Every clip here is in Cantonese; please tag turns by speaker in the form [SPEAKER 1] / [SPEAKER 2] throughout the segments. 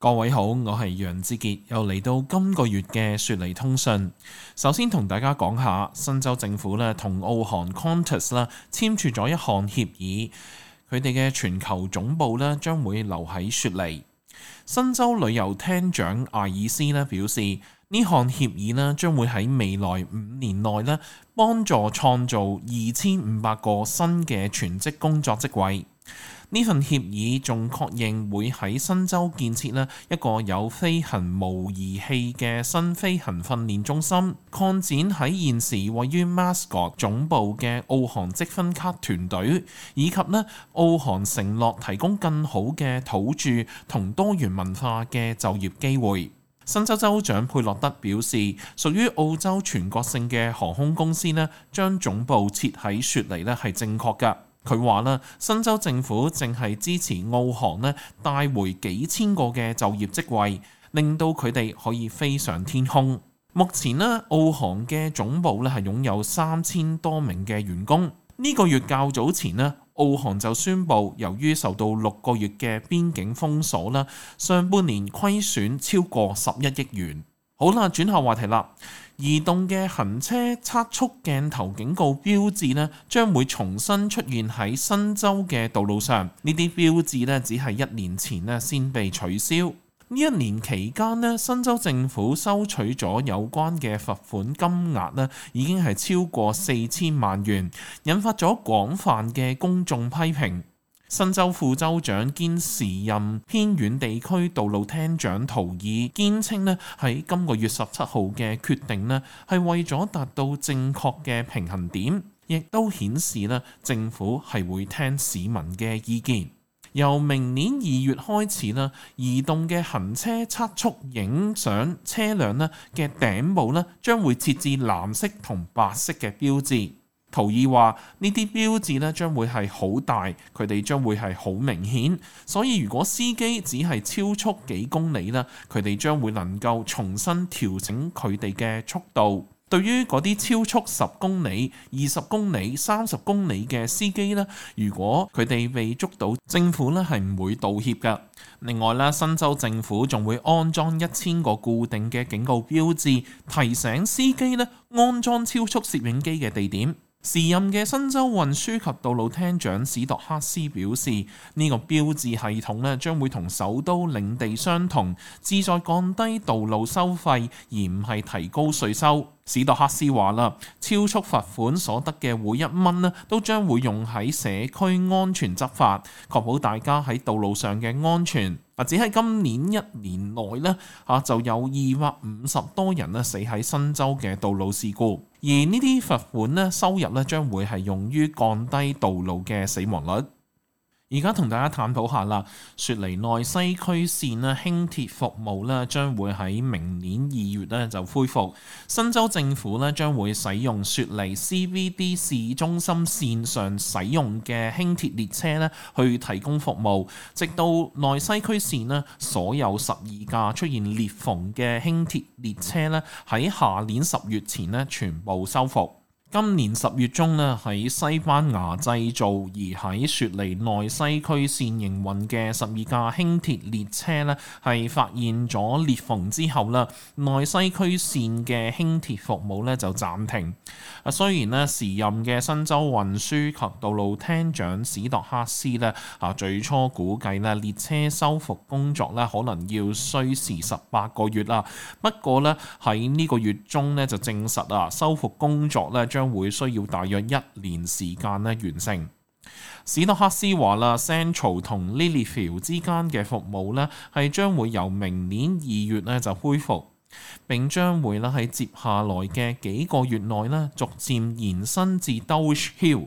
[SPEAKER 1] 各位好，我係楊志傑，又嚟到今個月嘅雪梨通訊。首先同大家講下，新州政府咧同澳航 Qantas 啦簽署咗一項協議，佢哋嘅全球總部咧將會留喺雪梨。新州旅遊廳長艾爾斯咧表示，呢項協議咧將會喺未來5年內咧幫助創造2500個新嘅全職工作職位。呢份協議仲確認會喺新州建設咧一個有飛行模擬器嘅新飛行訓練中心，擴展喺現時位於 Mascot 總部嘅澳航積分卡團隊，以及咧澳航承諾提供更好嘅土著同多元文化嘅就業機會。新州州長佩洛德表示，屬於澳洲全國性嘅航空公司咧，將總部設喺雪梨咧係正確㗎。佢話啦，新州政府正係支持澳航咧帶回幾千個嘅就業職位，令到佢哋可以飛上天空。目前咧，澳航嘅總部咧係擁有3000多名嘅員工。呢個月較早前咧，澳航就宣布，由於受到6個月嘅邊境封鎖啦，上半年虧損超過11億元。好啦，轉下話題啦。移動嘅行車測速鏡頭警告標誌呢，將會重新出現喺新州嘅道路上。呢啲標誌呢，只係1年前呢先被取消。呢1年期間呢，新州政府收取咗有關嘅罰款金額呢，已經係超過4000萬元，引發咗廣泛嘅公眾批評。新州副州長兼時任偏遠地區道路廳長圖爾堅稱呢，喺今個月17號嘅決定呢，係為咗達到正確嘅平衡點，亦都顯示呢政府係會聽市民嘅意見。由明年2月開始呢，移動嘅行車測速影相車輛呢嘅頂部呢，將會設置藍色同白色嘅標誌。圖爾話：呢啲標誌咧將會係好大，佢哋將會係好明顯，所以如果司機只係超速幾公里咧，佢哋將會能夠重新調整佢哋嘅速度。對於嗰啲超速10公里、20公里、30公里嘅司機咧，如果佢哋被捉到，政府咧係唔會道歉㗎。另外咧，新州政府仲會安裝1000個固定嘅警告標誌，提醒司機咧安裝超速攝影機嘅地點。時任嘅新州運輸及道路廳長史度克斯表示，呢個標誌系統咧將會同首都領地相同，旨在降低道路收費，而唔係提高稅收。史度克斯話啦，超速罰款所得嘅每1蚊咧，都將會用喺社區安全執法，確保大家喺道路上嘅安全。只喺今年1年內咧，就有250多人咧死喺新州嘅道路事故，而呢啲罰款咧收入咧將會係用於降低道路嘅死亡率。而家同大家探討下啦，雪梨內西區線咧輕鐵服務咧將會喺明年2月咧就恢復。新州政府咧將會使用雪梨 CBD 市中心線上使用嘅輕鐵列車咧去提供服務，直到內西區線咧所有12架出現裂縫嘅輕鐵列車咧喺下年10月前咧全部修復。今年10月中咧，喺西班牙製造而喺雪梨內西區線營運嘅12架輕鐵列車咧，係發現咗裂縫之後咧，內西區線嘅輕鐵服務咧就暫停。雖然咧時任嘅新州運輸及道路廳長史度克斯咧最初估計咧列車修復工作咧可能要需時18個月啦，不過咧喺呢個月中咧就證實修復工作咧將會需要大約1年時間咧完成。史度克斯話啦 ，Central 同 Lilyfield 之間嘅服務咧係將會由明年2月咧就恢復，並將會咧喺接下來嘅幾個月內咧逐漸延伸至 Dulwich Hill。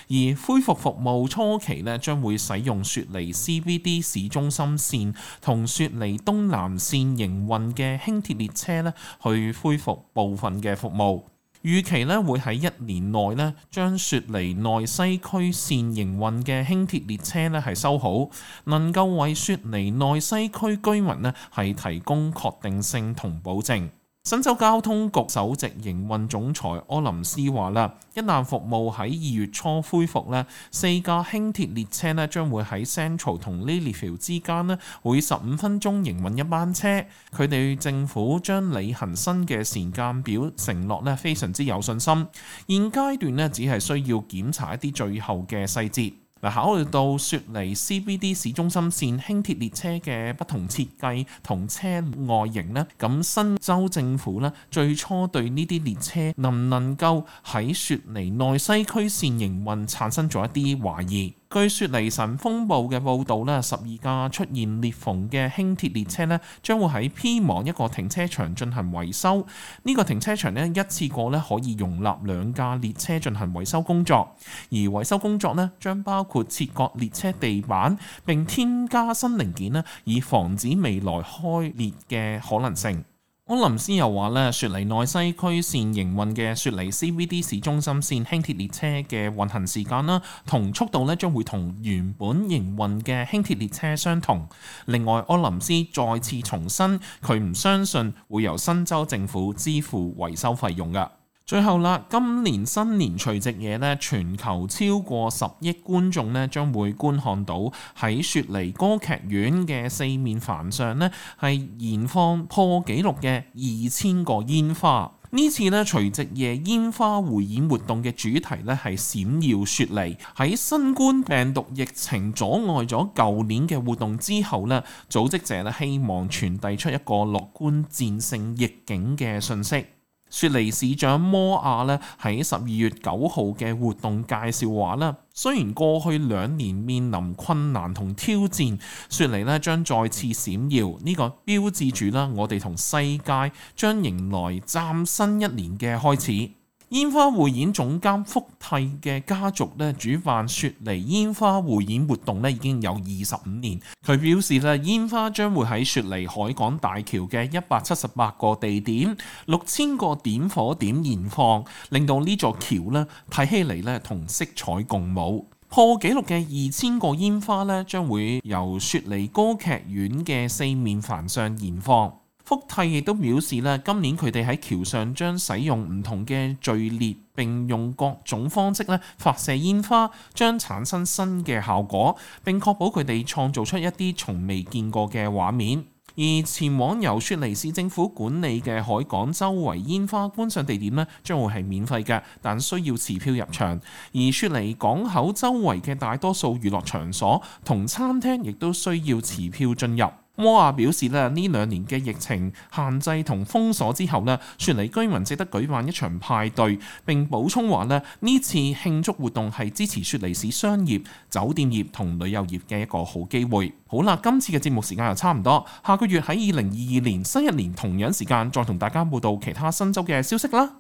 [SPEAKER 1] 而恢復服務初期咧將會使用雪梨 CBD 市中心線同雪梨東南線營運嘅輕鐵列車咧去恢復部分嘅服務。預期咧會喺1年內咧將雪梨內西區線營運嘅輕鐵列車咧係修好，能夠為雪梨內西區居民咧係提供確定性同保證。新州交通局首席營運總裁柯林斯話啦，一旦服務喺2月初恢復咧，4架輕鐵列車咧將會喺 Central 同 Lilyfield 之間咧，每15分鐘營運一班車。佢哋政府將履行新嘅時間表承諾咧，非常之有信心。現階段咧，只係需要檢查一啲最後嘅細節。考慮到雪梨 CBD 市中心線輕鐵列車嘅不同設計同車外形呢，咁新州政府呢最初對呢啲列車能唔能夠喺雪梨內西區線營運產生咗一啲懷疑。據雪梨晨風報嘅報導咧，12架出現裂縫嘅輕鐵列車咧，將會喺 Pyrmont 一個停車場進行維修。呢個停車場咧一次過咧可以容納2架列車進行維修工作，而維修工作咧將包括切割列車地板並添加新零件咧，以防止未來開裂嘅可能性。柯林斯又話咧，雪梨內西區線營運嘅雪梨 CBD 市中心線輕鐵列車嘅運行時間啦同速度咧將會同原本營運嘅輕鐵列車相同。另外，柯林斯再次重申，佢唔相信會由新州政府支付維修費用㗎。最後啦，今年新年除夕夜咧，全球超過10億觀眾咧將會觀看到喺雪梨歌劇院嘅四面帆上咧係燃放破紀錄嘅2000個煙花。呢次咧除夕夜煙花匯演活動嘅主題咧係閃耀雪梨。喺新冠病毒疫情阻礙咗舊年嘅活動之後咧，組織者咧希望傳遞出一個樂觀戰勝逆境嘅訊息。雪梨市長摩亞咧喺12月9號嘅活動介紹話啦，雖然過去2年面臨困難同挑戰，雪梨咧將再次閃耀，呢個標誌住啦我哋同世界將迎來嶄新一年嘅開始。煙花匯演總監福蒂嘅家族咧主辦雪梨煙花匯演活動咧已經有25年。佢表示咧，煙花將會喺雪梨海港大橋嘅178個地點、6000個點火點燃放，令到呢座橋咧睇起嚟咧同色彩共舞。破紀錄嘅2000個煙花咧將會由雪梨歌劇院嘅四面帆上燃放。福蒂亦都表示咧，今年佢哋喺橋上將使用唔同嘅序列，並用各種方式咧發射煙花，將產生新嘅效果，並確保佢哋創造出一啲從未見過嘅畫面。而前往由雪梨市政府管理嘅海港周圍煙花觀賞地點咧，將會係免費嘅，但需要持票入場。而雪梨港口周圍嘅大多數娛樂場所同餐廳亦都需要持票進入。摩亞表示咧，呢2年嘅疫情限制同封鎖之後咧，雪梨居民值得舉辦一場派對。並補充話咧，呢次慶祝活動係支持雪梨市商業、酒店業同旅遊業嘅一個好機會。好啦，今次嘅節目時間又差唔多，下個月喺2022年新一年同樣時間再同大家報道其他新州嘅消息啦。